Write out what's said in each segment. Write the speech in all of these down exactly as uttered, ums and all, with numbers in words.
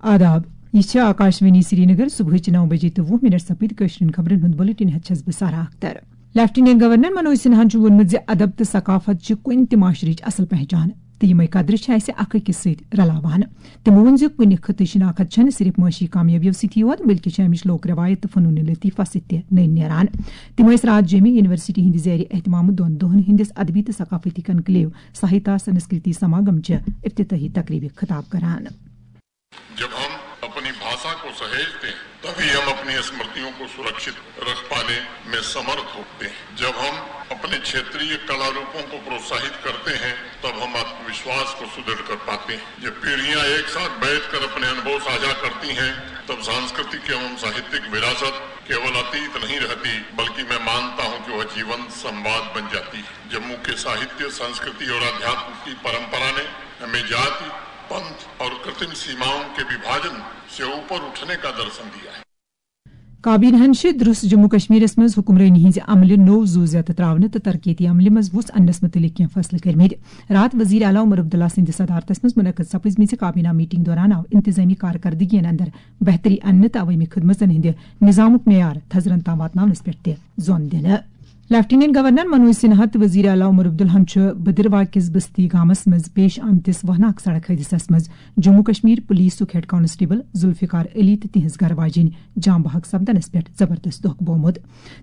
آداب، یہِ چھِ آکاشوانی سرینگر۔ صبحٕچہِ نَو بجے تہٕ وُہ منٹ سپٕدۍ۔ کٲشرٮ۪ن خبرن ہُنٛد بُلٹن ہٮ۪تھ چھَس بہٕ سارا اختر۔ لیفٹیننٹ گورنر منوج سنہاہن چھُ ووٚنمُت زِ ادب تہٕ ثقافت چھِ کُنہِ تہِ معاشرٕچ اصل پہچان تہٕ یِمے قدرٕ چھِ اسہِ اکھ أکِس سۭتۍ رلاوان۔ تِمو ووٚن زِ کُنہِ خطٕچ شناخت چھنہٕ صرف معاشی کامیٲبیو سۭتی یوت، بلکہِ چھِ امِچ لوک رٮ۪وایت تہٕ فنون لطیفہ سۭتۍ تہِ نٔنۍ نیران۔ تِم ٲسۍ راتھ جیٚمہِ یونیورسٹی ہٕنٛدِ زیر اہتمام دۄن دۄہن ہٕنٛدِس ادبی تہٕ ثقافتی کنکلیو ساہیتا سنسکرتی سماگم چہِ افتتاحی تقریبہِ خطاب کران۔ جب ہم اپنی بھاشا کو سہیجتے ہیں، تبھی ہم اپنی اسمرتیوں کو سرکشت رکھ پانے میں سمرتھ ہوتے ہیں۔ جب ہم اپنے چھیتریہ کلا روپوں کو پروتساہت کرتے ہیں، تب ہم آتموشواس کو سدھڑ کر پاتے ہیں۔ جب پیڑھیاں ایک ساتھ بیٹھ کر اپنے انوبھو ساجھا کرتی ہیں، تب سانسکرتک ایوم ساہتک وراثت کیول اتیت نہیں رہتی، بلکہ میں مانتا ہوں کہ وہ جیونت سمواد بن جاتی ہے۔ جموں کے ساہتیہ، سنسکرتی اور آدھیاتم کی پرمپرا نے ہمیں جاتی، پنتھ اور کرتم سیماؤں کے وبھاجن سے اوپر اٹھنے کا درشن دیا ہے۔ کابینہن چھِ درست جموں کشمیرس منٛز حکمرٲنی ہٕنٛزِ عملہِ نوٚو زُو زیتہٕ ترٛاونہٕ تہٕ ترقیتی عملہِ منٛز وُژھ اننس مُتعلق کینٛہہ فٲصلہٕ کٔرمٕتۍ۔ راتھ وزیر اعلیٰ عمر عبداللہ سٕنٛدِ صدارتس منٛز منعقد سپٕزمٕژِ کابینہ میٹنگ دوران آو انتظامی کارکردگین اندر بہتری اننہٕ تہٕ عوٲمی خدمژن ہٕنٛدِ نظامُک معیار تھزرن تام واتناونس پٮ۪ٹھ تہِ زون دِنہٕ۔ لیفٹیننٹ گورنر منوج سنہا تہٕ وزیر اعلیٰ عمر عبداللہن چھُ بدروا کِس بستی گامس منٛز پیش آمتِس وہناک سڑک حٲدثس منٛز جموں کشمیر پولیسُک ہیڈ کانسٹیبل ذوالفقار علی تہٕ تِہنٛز گرٕ واجیٚنۍ جام بحق سپدنس پٮ۪ٹھ زبردست دۄکھ بومُت۔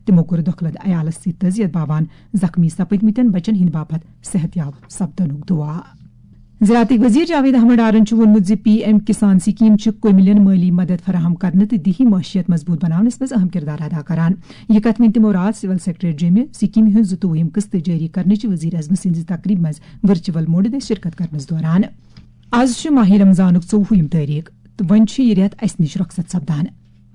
تِمو کوٚر دۄکھٕ لد عیالس سۭتۍ تعزیت باوان زخمی سپدمٕتٮ۪ن بچن ہٕنٛدِ باپتھ صحت یاب سپدنُک دُعا۔ زراعتٕکۍ وزیر جاوید احمد ڈارن چھُ ووٚنمُت زِ پی ایم کسان سکیم چھِ کُمِلٮ۪ن مٲلی مدد فراہم کرنہٕ تہٕ دیہی معیشت مضبوط بناونس منٛز اہم کردار ادا کران۔ یہِ کتھ ؤنۍ تِمو راتھ سول سیکریٹریٹ جیٚمہِ سکیمہِ ہُنٛد زٕتووُہِم قسط جٲری کرنٕچہِ وزیر اعظمہٕ سٕنٛزِ تقریبہِ منٛز ورچوئل موڈٕ دٔسۍ شرکت کرنس دوران۔ از چھُ ماہ رمضانُک ژوٚوُہِم تٲریخ تہٕ وۄنۍ چھُ یہِ رٮ۪تھ اسہِ نِش رۄخصت سپدان۔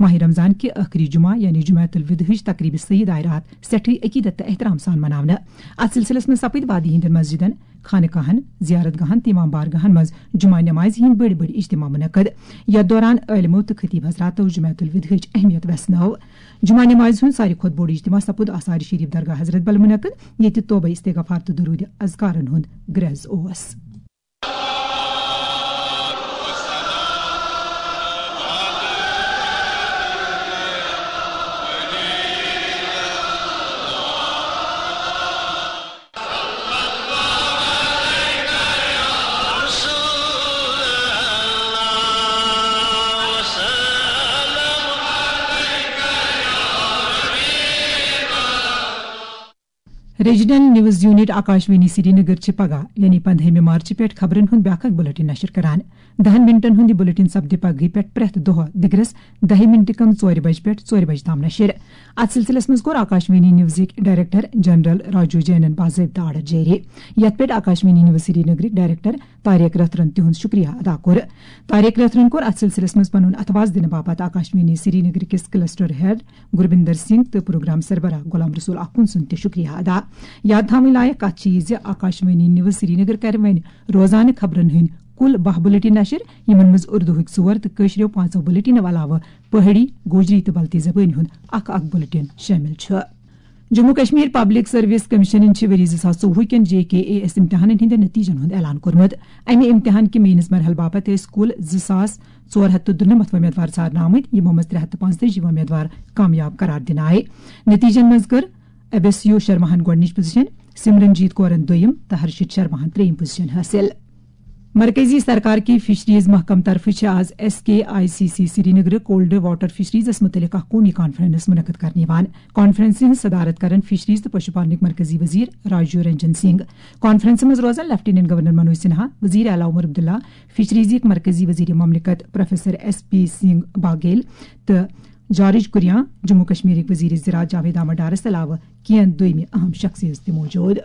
ماہ رمضان کہِ ٲخری جمعہ یعنی جمعہ الودحٕچ تقریبہِ سعید آیہِ راتھ سٮ۪ٹھٕے عقیدت تہٕ احترام سان مناونہٕ۔ اتھ سلسلس منٛز سپٕدۍ وادی ہٕنٛدٮ۪ن مسجدن، خانقاہن، زیارت گاہن تہٕ امام بارگاہن منٛز جمعہ نمازِ ہٕنٛدۍ بٔڑۍ بٔڑۍ اجتماع منعقد، یتھ دوران عٲلمو تہٕ خطیب حضراتو جمعہ الودحٕچ اہمیت ویژھنٲو۔ جمعہ نمازِ ہُنٛد ساروی کھۄتہٕ بوٚڑ اجتماع سپُد آثار شریف درگاہ حضرت بل منعقد، ییٚتہِ توبہ استغفار تہٕ درود اذکارن ہُنٛد گرٛز اوس۔ Regional news unit Akashvani Srinagar چھِ پگاہ یعنی پندہمہِ مارچہِ پٮ۪ٹھ خبرن ہُنٛد بیٛاکھ اکھ بلیٹن نشر کران۔ دہن منٹن ہُنٛد یہِ بلیٹن سپدِ پگہٕے پٮ۪ٹھ پرٛٮ۪تھ دۄہ دِگرس دہہِ منٹہِ کم ژورِ بجہِ پٮ۪ٹھ ژورِ بجہِ تام نشر۔ اتھ سلسلس منٛز کوٚر آکاشوانی نیوزٕکۍ ڈائریکٹر جنرل راجو جینن باضٲبطہٕ آرڈر جٲری، یتھ پٮ۪ٹھ آکاشوانی نیوز سرینگرٕکۍ ڈائریکٹر طارق رتھرن تِہُنٛد شکریہ ادا کوٚر۔ طارق رتھرن کوٚر اتھ سلسلس منٛز پنُن اتھواس دِنہٕ باپتھ آکاشوانی سرینگر کِس کلسٹر ہیڈ گربندر سنگھ تہٕ پروگرام سربراہ غلام رسول آخوند سُنٛد تہِ شکریہ ادا۔ یاد تھاوٕنۍ لایق کتھ چھِ یہِ زِ آکاشوانی نیوز سرینگر کرِ وۄنۍ روزانہٕ خبرن ہٕنٛدۍ کُل باہ بلیٹن نشر، یِمن منٛز اردوہٕکۍ ژور تہٕ کٲشرٮ۪و پانٛژو بلیٹنو علاوٕ پہٲڑی، گوجری تہٕ بلتی زبٲنۍ ہُنٛد اکھ اکھ بلیٹن شٲمِل چھُ۔ جموں کشمیر پبلک سروس کمیشنن چھِ ؤری زٕ ساس ژوٚوُہ کٮ۪ن جے کے اے ایس امتحانن ہٕنٛدٮ۪ن نتیجن ہُنٛد اعلان کوٚرمُت۔ امہِ امتحان کہِ مینس مرحلہٕ باپتھ ٲسۍ کُل زٕ ساس ژور ہتھ تہٕ دُنمتھ وۄمیدوار ژھارنہٕ آمٕتۍ، یِمو منٛز ترٛےٚ ہتھ تہٕ پانٛژتٲجی وۄمیدوار کامیاب قرار دِنہٕ آیہِ۔ نتیجن منٛز کٔر ابیسیو شرماہن گۄڈٕنِچ پوزیشن، سمرن جیت کورن دوٚیِم تہٕ ہرشت شرماہن ترٛیٚیِم پوزیشن حٲصِل۔ مرکزی سرکار کہِ فشریز محکمہٕ طرفہٕ چھِ آز S K I C C سرینگرٕ کولڈ واٹر فشریزس مُتعلق اکھ قومی کانفرنس منعقد کرنہٕ یِوان۔ کانفرنسہِ ہٕنٛز صدارت کرن فشریز تہٕ پشو پالنٕکۍ مرکزی وزیر راجیو رنجن سنگھ۔ کانفرنسہِ منٛز روزن لیفٹیننٹ گورنر منوج سنہا، وزیر اعلیٰ عمر عبداللہ، فشریزٕکۍ مرکزی وزیر مملکت پروفیسر ایس پی سنگھ باگیل تہٕ جارج کریان، جموں کشمیرٕکۍ وزیر زراعت جاوید احمد ڈارس علاوٕ کینٛہہ دوٚیمہِ اہم شخصیژ تہِ موجود۔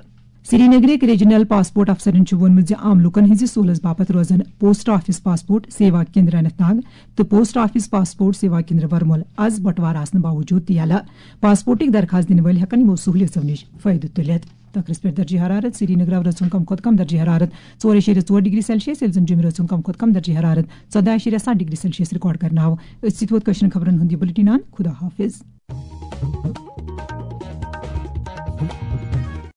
سرینگرٕکۍ ریجنل پاسپورٹ افسرن چھُ ووٚنمُت زِ عام لوٗکَن ہٕنٛزِ سہوٗلژ باپتھ روزن post office passport Seva Kendra Anant Nag تہٕ post office passport Seva Kendra Varmul از بٹوار آسنہٕ باوجود تہِ یلہٕ۔ پاسپورٹٕکۍ درخواست دِنہٕ وٲلۍ ہٮ۪کَن یِمو سہوٗلیژو نِش فٲیدٕ تُلِتھ۔ تخرس پٮ۪ٹھ درجہ حرارت: سرینگرٕ رٲژ ہُنٛد کم کھۄتہٕ کم درجہ حرارت ژور اَشاریہ ژور ڈگری سیلسیس، ییٚلہِ زن جوٚمہِ رٲژ ہُنٛد کم کھۄتہٕ کم درجہ حرارت ژۄداہ اَشاریہ ستھ ڈگری سیلسیس ریکارڈ کرنہٕ آو۔ أتھۍ سۭتۍ ووت کٲشرٮ۪ن خبرن ہُنٛد یہِ بُلٹن اند۔ خدا حافظ۔